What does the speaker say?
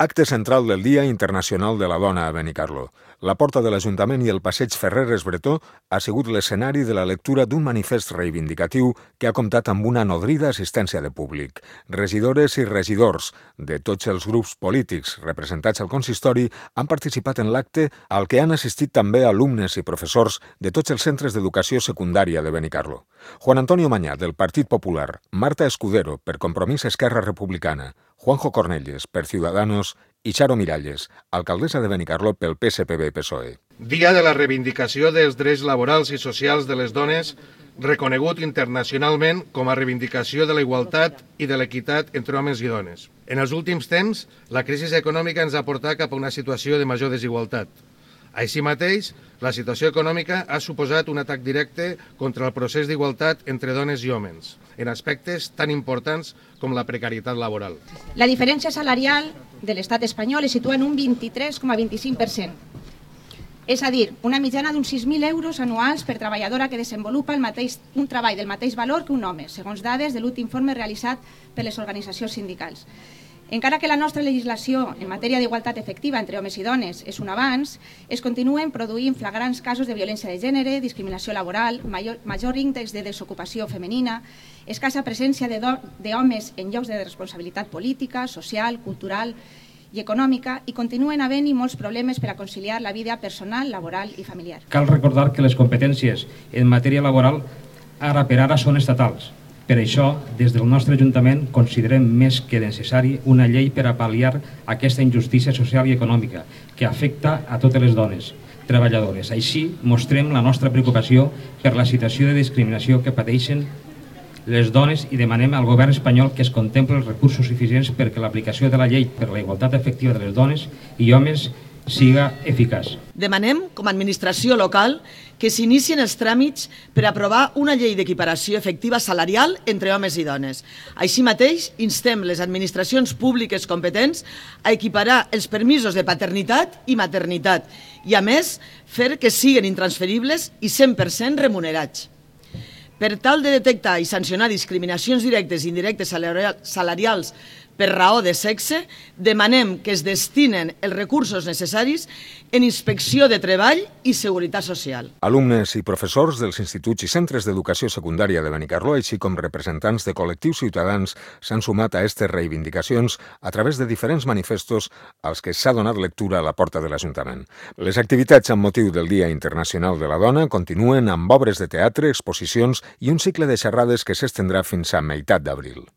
Acte central del Dia Internacional de la Dona a Benicarló. La porta de l'Ajuntament i el passeig Ferreres Bretó ha sigut l'escenari de la lectura d'un manifest reivindicatiu que ha comptat amb una nodrida assistència de públic. Regidores i regidors de tots els grups polítics representats al consistori han participat en l'acte al que han assistit també alumnes i professors de tots els centres d'educació secundària de Benicarló. Juan Antonio Mañá, del Partit Popular, Marta Escudero, per Compromís Esquerra Republicana, Juanjo Cornelles, per Ciudadanos, i Charo Miralles, alcaldessa de Benicarló pel PSPB-PSOE. Dia de la reivindicació dels drets laborals i socials de les dones, reconegut internacionalment com a reivindicació de la igualtat i de l'equitat entre homes i dones. En els últims temps, la crisi econòmica ens ha portat cap a una situació de major desigualtat. Així mateix, la situació econòmica ha suposat un atac directe contra el procés d'igualtat entre dones i homes, en aspectes tan importants com la precarietat laboral. La diferència salarial de l'estat espanyol es situa en un 23,25%. És a dir, una mitjana d'uns 6.000 euros anuals per treballadora que desenvolupa un treball del mateix valor que un home, segons dades de l'últim informe realitzat per les organitzacions sindicals. Encara que la nostra legislació en matèria d'igualtat efectiva entre homes i dones és un avanç, es continuen produint flagrants casos de violència de gènere, discriminació laboral, major índex de desocupació femenina, escassa presència d'homes en llocs de responsabilitat política, social, cultural i econòmica, i continuen havent-hi molts problemes per a conciliar la vida personal, laboral i familiar. Cal recordar que les competències en matèria laboral ara per ara són estatals. Per això, des del nostre Ajuntament considerem més que necessari una llei per a pal·liar aquesta injustícia social i econòmica que afecta a totes les dones treballadores. Així, mostrem la nostra preocupació per la situació de discriminació que pateixen les dones i demanem al govern espanyol que es contempli els recursos suficients perquè l'aplicació de la llei per la igualtat efectiva de les dones i homes siga eficaç. Demanem, com a administració local, que s'inicien els tràmits per aprovar una llei d'equiparació efectiva salarial entre homes i dones. Així mateix, instem les administracions públiques competents a equiparar els permisos de paternitat i maternitat i, a més, fer que siguin intransferibles i 100% remunerats. Per tal de detectar i sancionar discriminacions directes i indirectes salarials per raó de sexe, demanem que es destinen els recursos necessaris en inspecció de treball i seguretat social. Alumnes i professors dels instituts i centres d'educació secundària de Benicarló, així com representants de col·lectius ciutadans, s'han sumat a aquestes reivindicacions a través de diferents manifestos als que s'ha donat lectura a la porta de l'Ajuntament. Les activitats amb motiu del Dia Internacional de la Dona continuen amb obres de teatre, exposicions i un cicle de xerrades que s'estendrà fins a meitat d'abril.